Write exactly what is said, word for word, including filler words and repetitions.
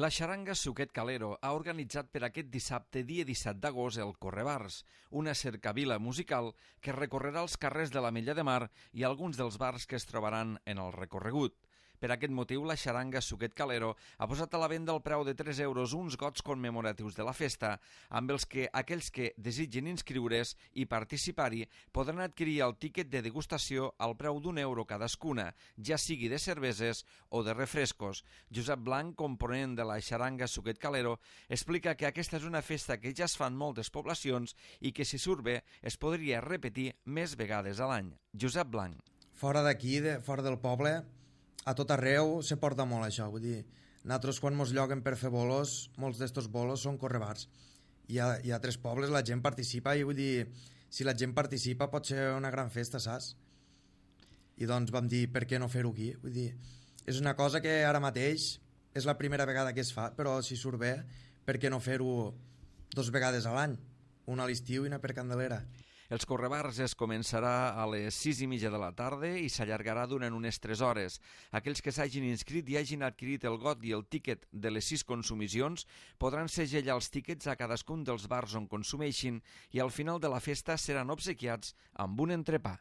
La xaranga Suquet Calero ha organitzat per aquest dissabte, dia disset d'agost, el Correbars, una cercavila musical que recorrerà els carrers de l'Ametlla de Mar i alguns dels bars que es trobaran en el recorregut. Per aquest motiu, la xaranga Suquet Calero ha posat a la venda al preu de tres euros uns gots commemoratius de la festa, amb els que aquells que desitgin inscriure's i participar-hi podran adquirir el tíquet de degustació al preu d'un euro cadascuna, ja sigui de cerveses o de refrescos. Josep Blanc, component de la xaranga Suquet Calero, explica que aquesta és una festa que ja es fa en moltes poblacions i que, si surt bé, es podria repetir més vegades a l'any. Josep Blanc. Fora d'aquí, de, fora del poble, a tot arreu se porta molt això, vull dir, nosaltres quan mos lloguen per fer bolos, molts d'estos bolos són correbars. Hi ha, hi ha tres pobles, la gent participa i vull dir, si la gent participa pot ser una gran festa, saps? I doncs vam dir, per què no fer-ho aquí? Vull dir, és una cosa que ara mateix és la primera vegada que es fa, però si surt bé, per què no fer-ho dos vegades a l'any? Una a l'estiu i una per Candelera. Els correbars es començarà a les sis i mitja de la tarda i s'allargarà durant unes tres hores. Aquells que s'hagin inscrit i hagin adquirit el got i el tíquet de les sis consumicions podran segellar els tíquets a cadascun dels bars on consumeixin i al final de la festa seran obsequiats amb un entrepà.